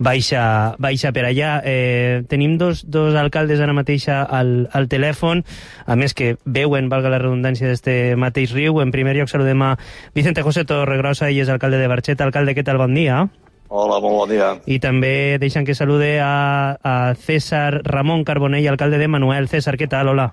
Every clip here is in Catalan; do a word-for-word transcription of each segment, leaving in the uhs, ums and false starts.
baixa, baixa per allà. Eh, tenim dos, dos alcaldes ara mateix al, al telèfon, a més que veuen, valga la redundància, d'este mateix riu. En primer lloc saludem a Vicente José Torregrosa, ell és alcalde de Barxeta. Alcalde, què tal? Bon dia. Hola, molt bon dia. I també deixen que salude a, a César Ramon Carbonell, alcalde de Manuel. César, què tal? Hola.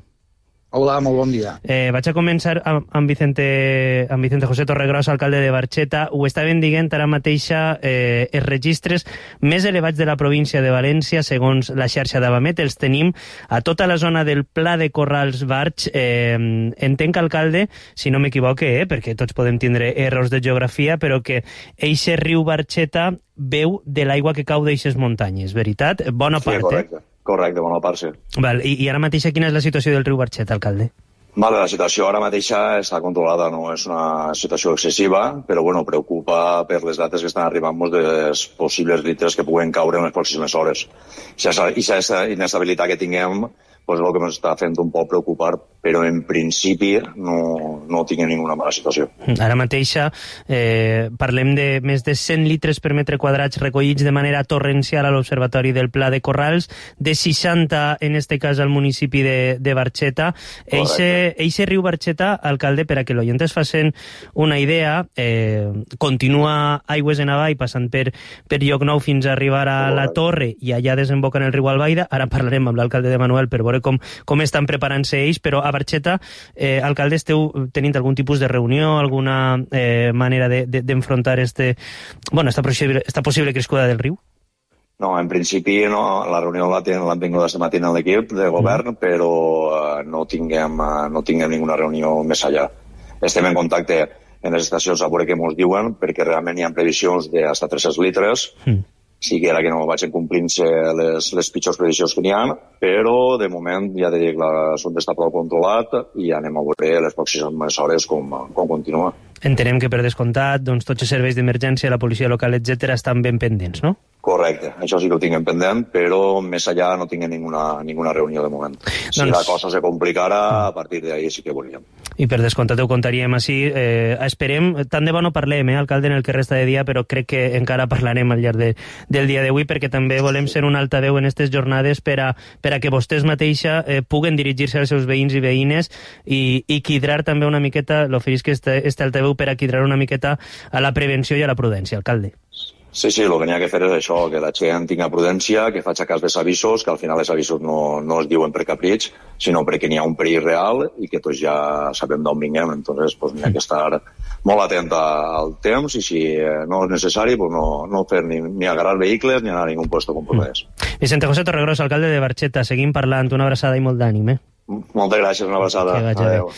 Hola, molt bon dia. Eh, vaig a començar amb, amb, Vicente, amb Vicente José Torregrosa, alcalde de Barxeta. Ho estaven dient ara mateixa, eh, els registres més elevats de la província de València, segons la xarxa d'Avamet, els tenim a tota la zona del Pla de Corrals Barx. Eh, entenc, alcalde, si no m'equivoque, eh, perquè tots podem tindre errors de geografia, però que eixe riu Barxeta veu de l'aigua que cau d'eixes muntanyes, veritat? Bona part, sí, correcte. eh? Correcte, bona part, sí. Val, i, I ara mateixa quina és la situació del riu Barxeta, alcalde? Vale, la situació ara mateixa està controlada, no és una situació excessiva, però bueno, preocupa per les dates que estan arribant dels possibles litres que puguen caure en les pròximes hores. I aquesta inestabilitat que tinguem pues, és el que ens està fent un poc preocupar, però en principi no, no tinguem ninguna mala situació. Ara mateixa eh, parlem de més de cent litres per metre quadrats recollits de manera torrencial a l'Observatori del Pla de Corrals, de seixanta en este cas al municipi de, de Barxeta. Eixe, eixe riu Barxeta, alcalde, per a que l'oient es facin una idea, eh, continua aigües en avall passant per, per Llocnou fins a arribar a la Torre i allà desemboca en el riu Albaida. Ara parlarem amb l'alcalde de Manuel per veure com, com estan preparant-se ells, però a Barxeta, eh, alcalde, esteu tenint algun tipus de reunió, alguna eh, manera d'enfrontar de, de, este, bueno, esta, possible, esta possible crescuda del riu? No, en principi no, la reunió l'han tingut aquesta matina en l'equip de govern, mm. però uh, no, tinguem, uh, no tinguem ninguna reunió més allà. Estem en contacte en les estacions a veure què ens diuen, perquè realment hi ha previsions de fins a tres-cents litres, mm. sí que era que no vagin complint-se les, les pitjors previsions que n'hi ha, però de moment ja dic, l'assumpte està prou controlat i anem a veure les pròximes hores com, com continua. Entenem que per descomptat doncs, tots els serveis d'emergència, la policia local, etcètera, estan ben pendents, no? Correcte, això sí que ho tinguem pendent, però més allà no tinguem ninguna, ninguna reunió de moment. Si doncs... la cosa se complicara, a partir d'ahir sí que volíem. I per descomptat ho contaríem així. Eh, esperem, tant de bo no parlem, eh, alcalde, en el que resta de dia, però crec que encara parlarem al llarg de, del dia d'avui, perquè també volem ser un altaveu en aquestes jornades per a, per a que vostès mateixa eh, puguen dirigir-se als seus veïns i veïnes i, i quidrar també una miqueta, l'oferís que este, este altaveu per a quidrar una miqueta a la prevenció i a la prudència, alcalde. Sí, sí, el que n'hi ha que fer és això, que la gent tinga prudència, que faci cas dels avisos, que al final els avisos no, no es diuen per capritx, sinó perquè n'hi ha un perill real i que tots ja sabem d'on vinguem, entonces pues, n'hi ha que estar molt atent al temps i si no és necessari pues, no, no fer ni, ni agarrar vehicles ni anar a ningú puesto compromès. Vicente José Torregrosa, alcalde de Barxeta, seguim parlant, una abraçada i molt d'ànim, eh? Moltes gràcies, una abraçada. Adéu.